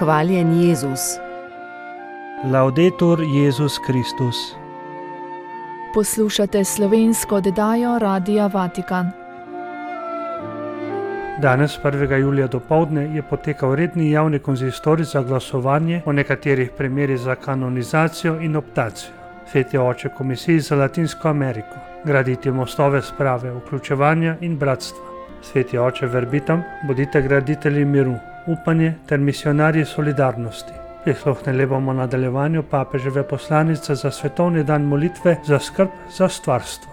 Hvaljen Jezus. Laudetur Jezus Kristus. Poslušate slovensko oddajo Radia Vatikan. Danes, 1. julija dopoldne, je potekal redni javni konzistorij za glasovanje o nekaterih primerih za kanonizacijo in optacijo. Sveti oče Komisiji za Latinsko Ameriko, graditi mostove sprave, vključevanja in bratstva. Sveti oče Verbitam, bodite graditelji miru, upanje ter misionarji solidarnosti. Prisluhnili bomo nadaljevanju papeževe poslanice za svetovni dan molitve za skrb za stvarstvo.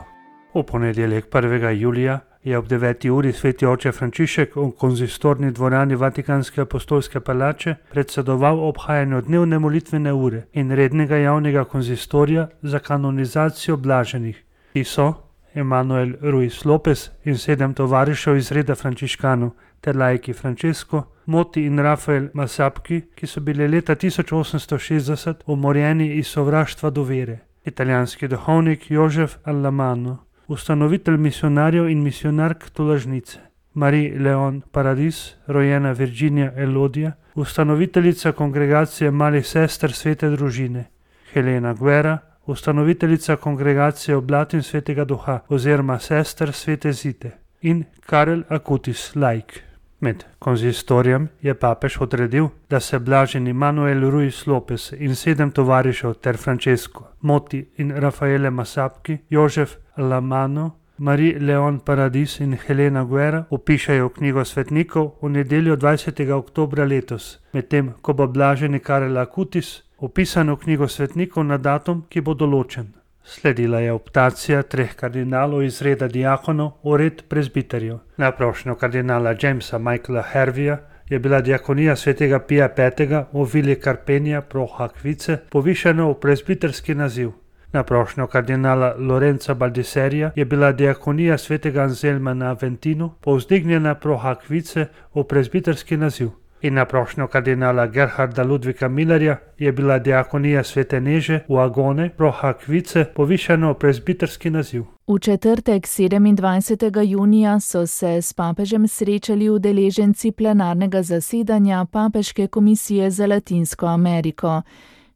V ponedeljek 1. julija je ob 9. uri sveti oče Frančišek v konzistorni dvorani Vatikanske apostolske palače predsedoval obhajanju dnevne molitvene ure in rednega javnega konzistorija za kanonizacijo blaženih. Ti so Emanuel Ruiz Lopez in 7 tovarišev iz reda frančiškanov ter laiki Francesco, Moti in Rafael Masapki, ki so bili leta 1860 umorjeni iz sovraštva do vere. Italijanski duhovnik Jožef Allamano, ustanovitelj misionarjev in misionark tolažnice. Marie Leon Paradis, rojena Virginia Elodija, ustanoviteljica kongregacije malih sester svete družine. Helena Guerra, ustanoviteljica kongregacije Oblatin svetega duha oziroma sester svete Zite. In Karel Akutis, laik. Med konzistorijem je papež odredil, da se blaženi Manuel Ruiz Lopez in 7 tovarišev ter Francesco, Moti in Rafaele Masapki, Jožef Allamano, Marie Leon Paradis in Helena Guerra vpišajo v knjigo svetnikov v nedeljo 20. oktobra letos, medtem ko bo blaženi Karel Akutis vpisan v knjigo svetnikov na datum, ki bo določen. Sledila je optacija 3 kardinalov iz reda diakonov v red prezbiterjev. Na prošnjo kardinala Jamesa Michaela Hervija je bila diakonija svetega Pija V. v vili Carpenia pro Hakvice povišena v prezbiterski naziv. Na prošnjo kardinala Lorenza Baldiserija je bila diakonija svetega Anselma na Aventinu povzdignjena pro Hakvice v prezbiterski naziv. In na prošnjo kardinala Gerharda Ludvika Millerja je bila diakonija svete Neže v Agone pro Hakvice povišena v prezbiterski naziv. V četrtek 27. junija so se s papežem srečali udeleženci plenarnega zasedanja Papeške komisije za Latinsko Ameriko.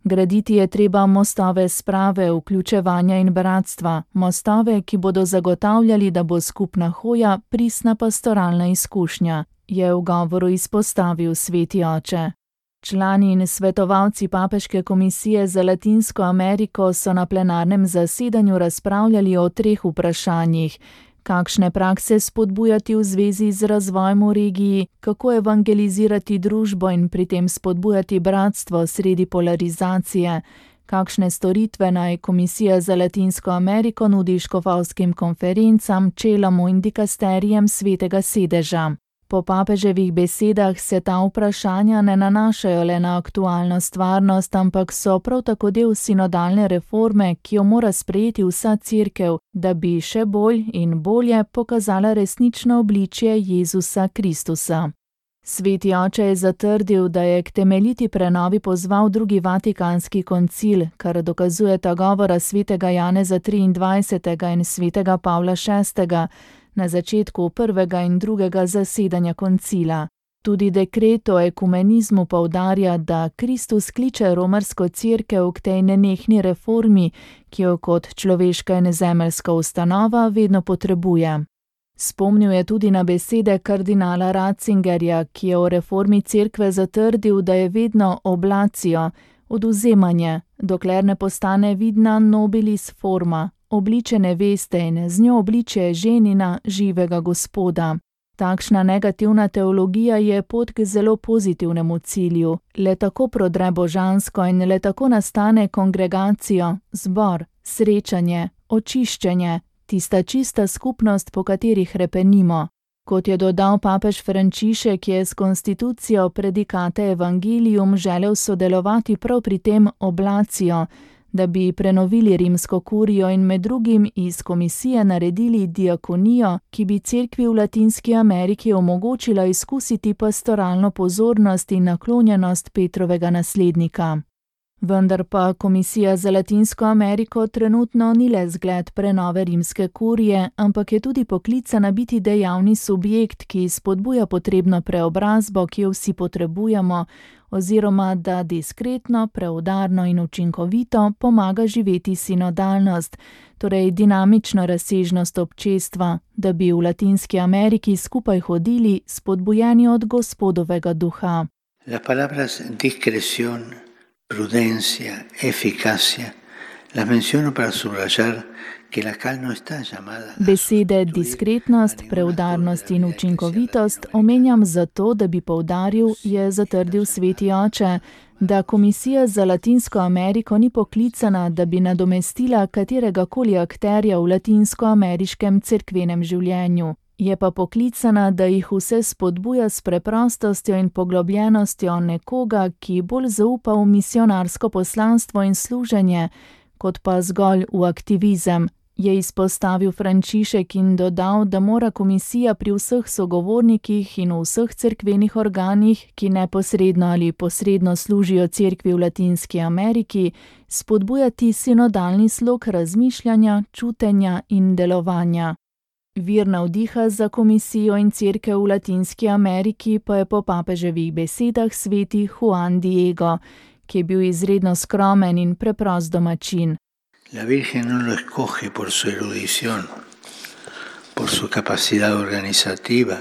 Graditi je treba mostove sprave, vključevanja in bratstva, mostove, ki bodo zagotavljali, da bo skupna hoja pristna pastoralna izkušnja, je v govoru izpostavil sveti oče. Člani in svetovalci Papeške komisije za Latinsko Ameriko so na plenarnem zasedanju razpravljali o 3 vprašanjih: kakšne prakse spodbujati v zvezi z razvojem v regiji, kako evangelizirati družbo in pri tem spodbujati bratstvo sredi polarizacije, kakšne storitve naj Komisija za Latinsko Ameriko nudi škofovskim konferencam, čelamu in dikasterijem svetega sedeža. Po papeževih besedah se ta vprašanja ne nanašajo le na aktualno stvarnost, ampak so prav tako del sinodalne reforme, ki jo mora sprejeti vsa cerkev, da bi še bolj in bolje pokazala resnično obličje Jezusa Kristusa. Sveti oče je zatrdil, da je k temeljiti prenovi pozval drugi Vatikanski koncil, kar dokazujeta govora svetega Janeza 23. in svetega Pavla VI. Na začetku 1. in 2. zasedanja koncila. Tudi dekret o ekumenizmu poudarja, da Kristus kliče romarsko cerkev k tej nenehni reformi, ki jo kot človeška in zemeljska ustanova vedno potrebuje. Spomnil je tudi na besede kardinala Ratzingerja, ki je o reformi cerkve zatrdil, da je vedno oblacijo, odvzemanje, dokler ne postane vidna nobilis forma, obliče neveste in z njo obliče ženina živega Gospoda. Takšna negativna teologija je pot k zelo pozitivnemu cilju. Le tako prodre božansko in le tako nastane kongregacijo, zbor, srečanje, očiščenje, tista čista skupnost, po kateri hrepenimo. Kot je dodal papež Frančišek, je s konstitucijo predikate Evangelium želel sodelovati prav pri tem oblacijo, da bi prenovili rimsko kurijo in med drugim iz komisije naredili diakonijo, ki bi cerkvi v Latinski Ameriki omogočila izkusiti pastoralno pozornost in naklonjenost Petrovega naslednika. Vendar pa Komisija za Latinsko Ameriko trenutno ni le zgled prenove rimske kurije, ampak je tudi poklicana biti dejavni subjekt, ki spodbuja potrebno preobrazbo, ki jo vsi potrebujemo, oziroma da diskretno, preudarno in učinkovito pomaga živeti sinodalnost, torej dinamično razsežnost občestva, da bi v Latinski Ameriki skupaj hodili, spodbujeni od Gospodovega duha. Las palabras discreción, prudencia, eficacia, las menciono para subrayar que la cal no está llamada. Besede diskretnost, preudarnost in učinkovitost omenjam zato, da bi poudaril, je zatrdil sveti oče, da Komisija za Latinsko Ameriko ni poklicana, da bi nadomestila kateregakoli akterja v latinskoameriškem cerkvenem življenju. Je pa poklicana, da jih vse spodbuja s preprostostjo in poglobljenostjo nekoga, ki bolj zaupa v misionarsko poslanstvo in služenje, kot pa zgolj v aktivizem, je izpostavil Frančišek in dodal, da mora komisija pri vseh sogovornikih in v vseh cerkvenih organih, ki neposredno ali posredno služijo cerkvi v Latinski Ameriki, spodbujati sinodalni slog razmišljanja, čutenja in delovanja. Vir navdiha za komisijo in cerkev v Latinski Ameriki pa je po papeževih besedah sveti Juan Diego, ki je bil izredno skromen in preprost domačin. La Virgen no lo escoge por su erudición, por su capacidad organizativa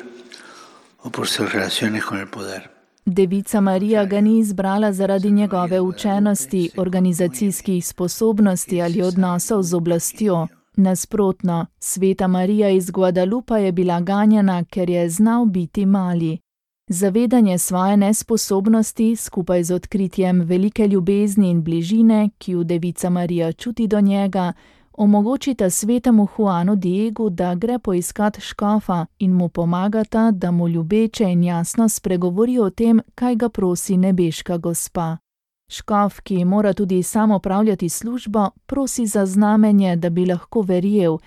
o por sus relaciones con el poder. Devica Marija ga ni izbrala zaradi njegove učenosti, organizacijskih sposobnosti ali odnosov z oblastjo. Nasprotno, sveta Marija iz Guadalupa je bila ganjena, ker je znal biti mali. Zavedanje svoje nesposobnosti, skupaj z odkritjem velike ljubezni in bližine, ki jo Devica Marija čuti do njega, omogočita svetemu Juanu Diegu, da gre poiskat škofa in mu pomagata, da mu ljubeče in jasno spregovori o tem, kaj ga prosi nebeška gospa. Škof, ki mora tudi sam opravljati službo, prosi za znamenje, da bi lahko verjel.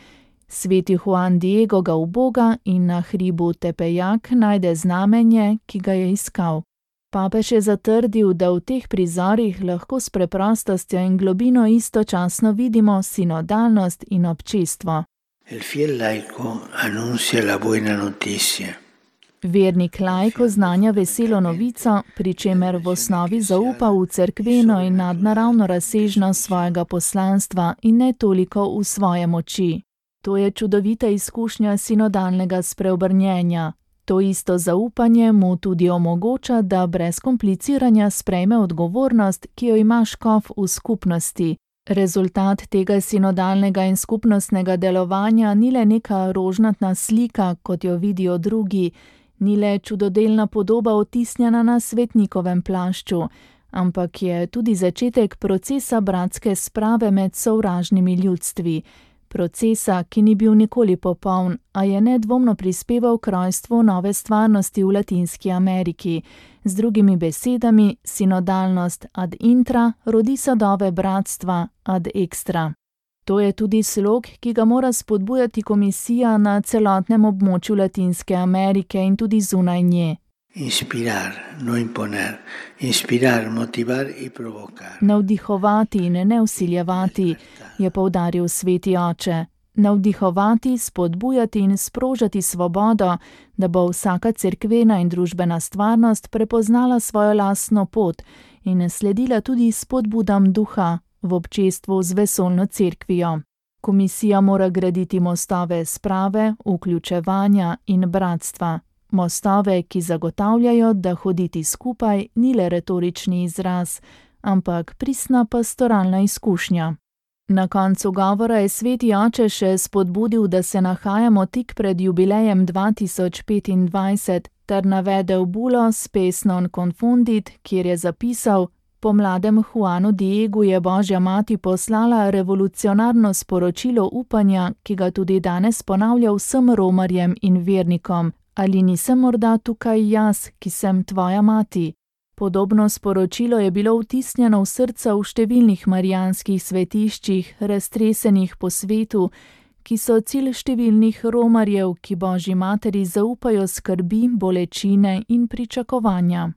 Sveti Juan Diego ga uboga in na hribu Tepejac najde znamenje, ki ga je iskal. Papež je zatrdil, da v teh prizorih lahko s preprostostjo in globino istočasno vidimo sinodalnost in občestvo. El fiel laico anuncia la buena noticia. Vernik laik oznanja veselo novico, pri čemer v osnovi zaupa v cerkveno in nadnaravno razsežnost svojega poslanstva in ne toliko v svoje moči. To je čudovita izkušnja sinodalnega spreobrnjenja. To isto zaupanje mu tudi omogoča, da brez kompliciranja sprejme odgovornost, ki jo ima škof v skupnosti. Rezultat tega sinodalnega in skupnostnega delovanja ni le neka rožnatna slika, kot jo vidijo drugi, ni le čudodelna podoba otisnjena na svetnikovem plašču, ampak je tudi začetek procesa bratske sprave med sovražnimi ljudstvi. Procesa, ki ni bil nikoli popoln, a je nedvomno prispeval k rojstvu nove stvarnosti v Latinski Ameriki. Z drugimi besedami, sinodalnost ad intra rodi sadove bratstva ad extra. To je tudi slog, ki ga mora spodbujati komisija na celotnem območju Latinske Amerike in tudi zunaj nje. Inspirar, no imponer. Inspirar, motivar in provocar. Navdihovati in ne vsiljevati, je poudaril sveti oče. Navdihovati, spodbujati in sprožati svobodo, da bo vsaka cerkvena in družbena stvarnost prepoznala svojo lastno pot in sledila tudi spodbudam duha v občestvu z vesoljno cerkvijo. Komisija mora graditi mostove sprave, vključevanja in bratstva. Mostove, ki zagotavljajo, da hoditi skupaj ni le retorični izraz, ampak pristna pastoralna izkušnja. Na koncu govora je sveti oče še spodbudil, da se nahajamo tik pred jubilejem 2025, ter navedel bulo Spes non confundit, kjer je zapisal: Po mladem Juanu Diegu je Božja mati poslala revolucionarno sporočilo upanja, ki ga tudi danes ponavlja vsem romarjem in vernikom. Ali nisem morda tukaj jaz, ki sem tvoja mati? Podobno sporočilo je bilo vtisnjeno v srca v številnih marijanskih svetiščih, raztresenih po svetu, ki so cilj številnih romarjev, ki Božji materi zaupajo skrbi, bolečine in pričakovanja.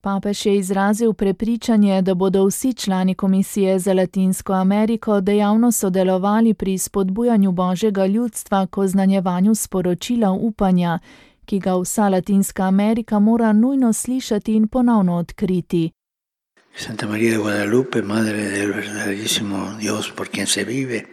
Papež je izrazil prepričanje, da bodo vsi člani Komisije za Latinsko Ameriko dejavno sodelovali pri spodbujanju Božjega ljudstva k oznanjevanju sporočila upanja, ki ga vsa Latinska Amerika mora nujno slišati in ponovno odkriti. Santa María de Guadalupe, Madre del verdaderísimo Dios por quien se vive.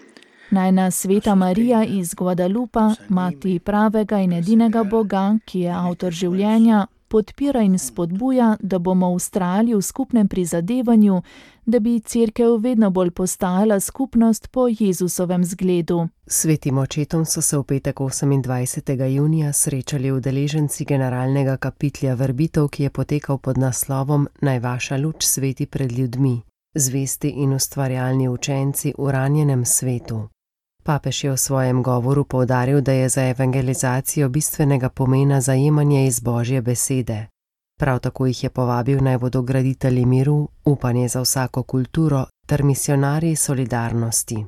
Najna Sveta Marija iz Guadalupa, mati pravega in edinega Boga, ki je avtor življenja, podpira in spodbuja, da bomo vztrajali v skupnem prizadevanju, da bi Cerkev vedno bolj postajala skupnost po Jezusovem zgledu. Svetim očetom so se v petek 28. junija srečali udeleženci generalnega kapitlja verbitev, ki je potekal pod naslovom Naj vaša luč sveti pred ljudmi, zvesti in ustvarjalni učenci v ranjenem svetu. Papež je v svojem govoru poudaril, da je za evangelizacijo bistvenega pomena zajemanje iz Božje besede. Prav tako jih je povabil, naj bodo graditelji miru, upanje za vsako kulturo ter misionarji solidarnosti.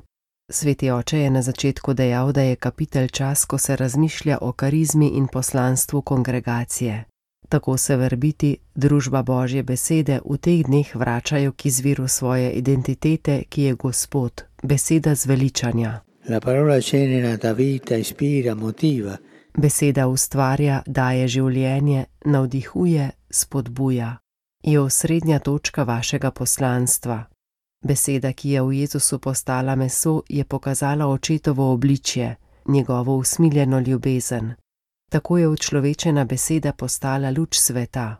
Sveti oče je na začetku dejal, da je kapitelj čas, ko se razmišlja o karizmi in poslanstvu kongregacije. Tako se verbiti, družba Božje besede, v teh dneh vračajo k izviru svoje identitete, ki je Gospod, beseda zveličanja. La parola genera, da vita, ispira, motiva. Beseda ustvarja, daje življenje, navdihuje, spodbuja. Je osrednja točka vašega poslanstva. Beseda, ki je v Jezusu postala meso, je pokazala očetovo obličje, njegovo usmiljeno ljubezen. Tako je učlovečena beseda postala luč sveta.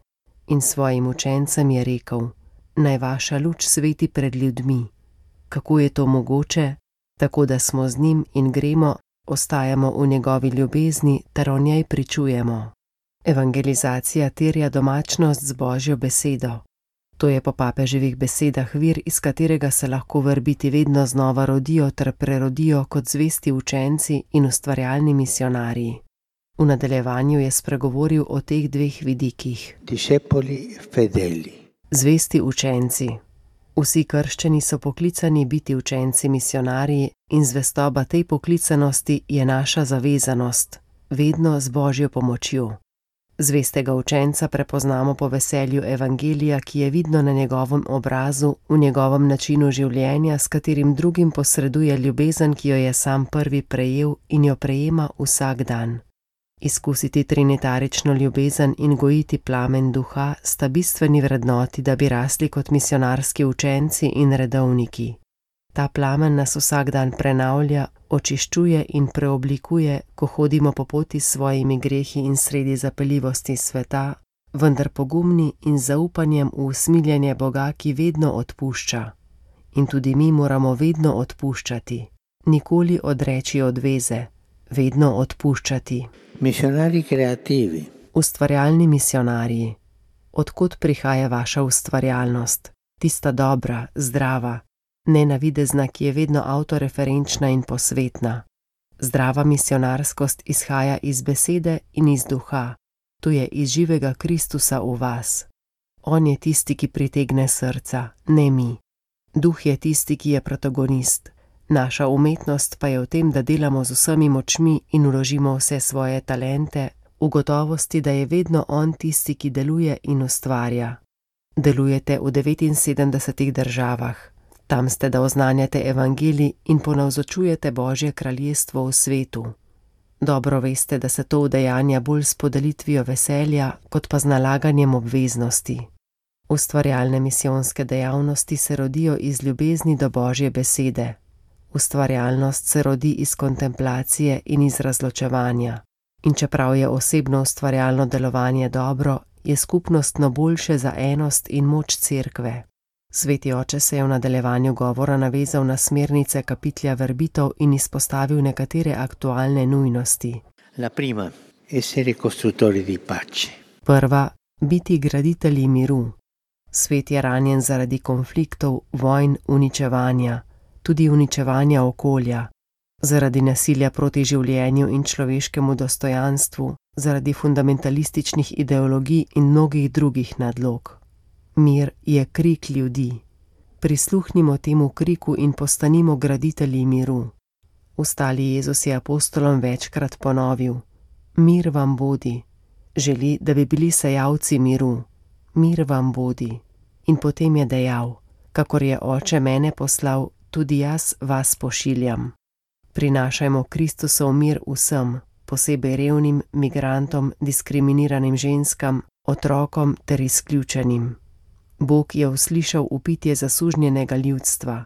In svojim učencem je rekel: Naj vaša luč sveti pred ljudmi. Kako je to mogoče? Tako da smo z njim in gremo, ostajamo v njegovi ljubezni ter o njej pričujemo. Evangelizacija terja domačnost z Božjo besedo. To je po papeževih besedah vir, iz katerega se lahko verbiti vedno znova rodijo ter prerodijo kot zvesti učenci in ustvarjalni misionarji. V nadaljevanju je spregovoril o teh dveh vidikih. Discepoli fedeli. Zvesti učenci. Vsi krščeni so poklicani biti učenci misionarji in zvestoba tej poklicanosti je naša zavezanost, vedno z Božjo pomočjo. Zvestega učenca prepoznamo po veselju evangelija, ki je vidno na njegovem obrazu, v njegovem načinu življenja, s katerim drugim posreduje ljubezen, ki jo je sam prvi prejel in jo prejema vsak dan. Izkusiti trinitarično ljubezen in gojiti plamen duha sta bistveni vrednoti, da bi rasli kot misionarski učenci in redovniki. Ta plamen nas vsak dan prenavlja, očiščuje in preoblikuje, ko hodimo po poti s svojimi grehi in sredi zapeljivosti sveta, vendar pogumni in zaupanjem v usmiljenje Boga, ki vedno odpušča. In tudi mi moramo vedno odpuščati, nikoli odreči odveze, vedno odpuščati. Misionari kreativi. Ustvarjalni misionarji. Odkot prihaja vaša ustvarjalnost? Tista dobra, zdrava, nenavidezna, ki je vedno avtoreferenčna in posvetna. Zdrava misionarskost izhaja iz besede in iz duha. To je iz živega Kristusa v vas. On je tisti, ki pritegne srca, ne mi. Duh je tisti, ki je protagonist. Naša umetnost pa je v tem, da delamo z vsemi močmi in vložimo vse svoje talente, v gotovosti, da je vedno on tisti, ki deluje in ustvarja. Delujete v 79 državah. Tam ste, da oznanjate evangelij in ponavzočujete Božje kraljestvo v svetu. Dobro veste, da se to udejanja bolj s podelitvijo veselja, kot pa z nalaganjem obveznosti. Ustvarjalne misijonske dejavnosti se rodijo iz ljubezni do Božje besede. Ustvarjalnost se rodi iz kontemplacije in iz razločevanja. In čeprav je osebno ustvarjalno delovanje dobro, je skupnostno boljše za enost in moč cerkve. Sveti oče se je v nadaljevanju govora navezal na smernice kapitlja verbitev in izpostavil nekatere aktualne nujnosti. La prima, essere costruttori di pace. Prva, biti graditelji miru. Svet je ranjen zaradi konfliktov, vojn, uničevanja, tudi uničevanja okolja, zaradi nasilja proti življenju in človeškemu dostojanstvu, zaradi fundamentalističnih ideologij in mnogih drugih nadlog. Mir je krik ljudi. Prisluhnimo temu kriku in postanimo graditelji miru. Ustali Jezus je apostolom večkrat ponovil: Mir vam bodi. Želi, da bi bili sejalci miru. mir vam bodi. In potem je dejal: kakor je Oče mene poslal, tudi jaz vas pošiljam. Prinašajmo Kristusov mir vsem, posebej revnim, migrantom, diskriminiranim ženskam, otrokom ter izključenim. Bog je uslišal vpitje zasužnjenega ljudstva.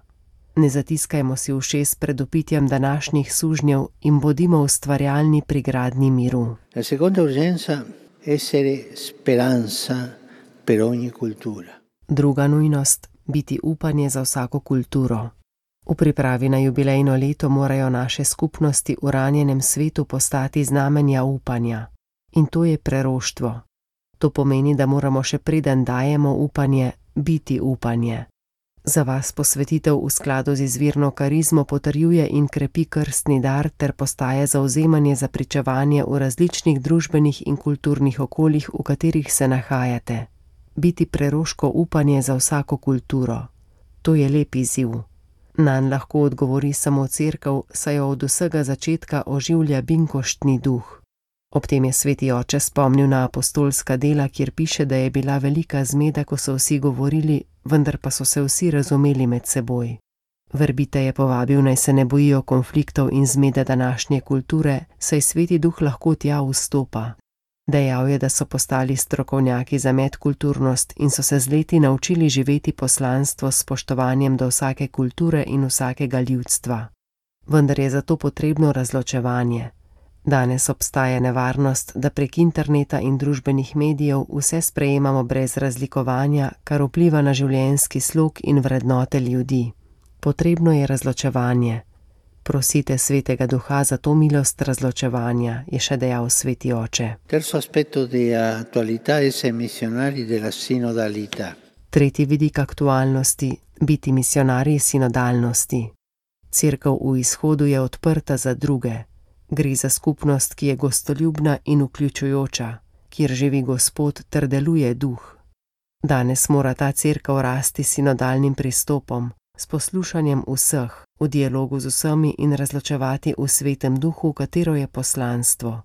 Ne zatiskajmo si ušes pred vpitjem današnjih sužnjev in bodimo ustvarjalni pri gradnji miru. La seconda urgenza è essere speranza per ogni cultura. Druga nujnost, biti upanje za vsako kulturo. V pripravi na jubilejno leto morajo naše skupnosti v ranjenem svetu postati znamenja upanja. In to je preroštvo. To pomeni, da moramo še preden dajemo upanje, biti upanje. Za vas posvetitev v skladu z izvirno karizmo potrjuje in krepi krstni dar ter postaje zavzemanje za pričevanje v različnih družbenih in kulturnih okoljih, v katerih se nahajate. Biti preroško upanje za vsako kulturo. To je lep izziv. Nanj lahko odgovori samo Cerkev, saj jo od vsega začetka oživlja binkoštni duh. Ob tem je sveti oče spomnil na apostolska dela, kjer piše, da je bila velika zmeda, ko so vsi govorili, vendar pa so se vsi razumeli med seboj. Verbite je povabil, naj se ne bojijo konfliktov in zmede današnje kulture, saj sveti duh lahko tja vstopa. Dejal je, da so postali strokovnjaki za medkulturnost in so se z leti naučili živeti poslanstvo s spoštovanjem do vsake kulture in vsakega ljudstva. Vendar je zato potrebno razločevanje. Danes obstaja nevarnost, da prek interneta in družbenih medijev vse sprejemamo brez razlikovanja, kar vpliva na življenjski slog in vrednote ljudi. Potrebno je razločevanje. Prosite svetega duha za to milost razločevanja, je še dejal sveti oče. Terzo aspetto di attualità è essere missionari della sinodalità. Tretji vidik aktualnosti, biti misionarji sinodalnosti. Cerkev v izhodu je odprta za druge. Gre za skupnost, ki je gostoljubna in vključujoča, kjer živi Gospod ter deluje duh. Danes mora ta cerkev rasti s sinodalnim pristopom, s poslušanjem vseh, v dialogu z vsemi in razločevati v svetem duhu, katero je poslanstvo.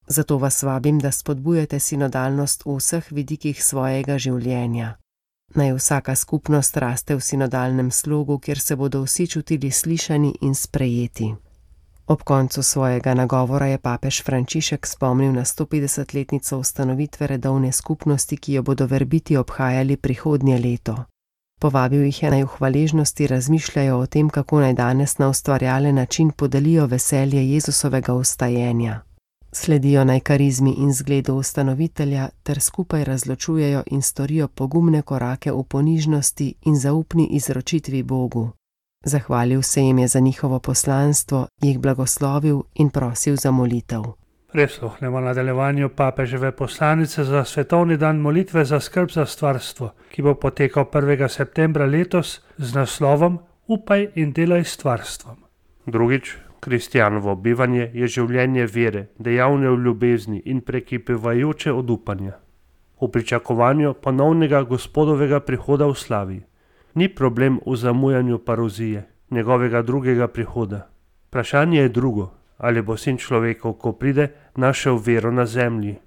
Zato vas vabim, da spodbujate sinodalnost v vseh vidikih svojega življenja. Naj vsaka skupnost raste v sinodalnem slogu, kjer se bodo vsi čutili slišani in sprejeti. Ob koncu svojega nagovora je papež Frančišek spomnil na 150-letnico ustanovitve redovne skupnosti, ki jo bodo verbiti obhajali prihodnje leto. Povabil jih je, naj v hvaležnosti razmišljajo o tem, kako naj danes na ustvarjalen način podelijo veselje Jezusovega vstajenja. Sledijo naj karizmi in zgledu ustanovitelja ter skupaj razločujejo in storijo pogumne korake v ponižnosti in zaupni izročitvi Bogu. Zahvalil se jim je za njihovo poslanstvo, jih blagoslovil in prosil za molitev. Prisluhnemo nadaljevanju papeževe poslanice za svetovni dan molitve za skrb za stvarstvo, ki bo potekal 1. septembra letos z naslovom Upaj in delaj s stvarstvom. Drugič, kristjanovo bivanje je življenje vere, dejavne v ljubezni in prekipevajoče od upanja. V pričakovanju ponovnega Gospodovega prihoda v slavi. Ni problem v zamujanju parozije, njegovega drugega prihoda. Vprašanje je drugo, ali bo sin človekov, ko pride, našel vero na zemlji.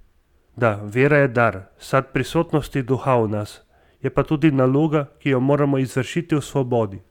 Da, vera je dar, sad prisotnosti duha v nas, je pa tudi naloga, ki jo moramo izvršiti v svobodi,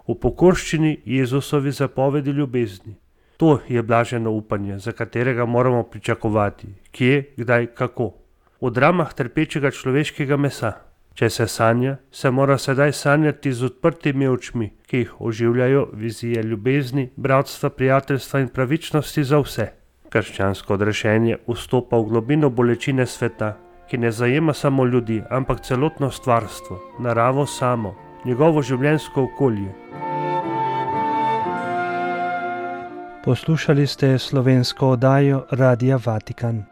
v pokorščini Jezusovi zapovedi ljubezni. To je blaženo upanje, za katerega moramo pričakovati, kje, kdaj, kako. V dramah trpečega človeškega mesa. Če se sanja, se mora sedaj sanjati z odprtimi očmi, ki jih oživljajo vizije ljubezni, bratstva, prijateljstva in pravičnosti za vse. Krščansko odrešenje vstopa v globino bolečine sveta, ki ne zajema samo ljudi, ampak celotno stvarstvo, naravo samo, njegovo življenjsko okolje. Poslušali ste slovensko oddajo Radia Vatikan.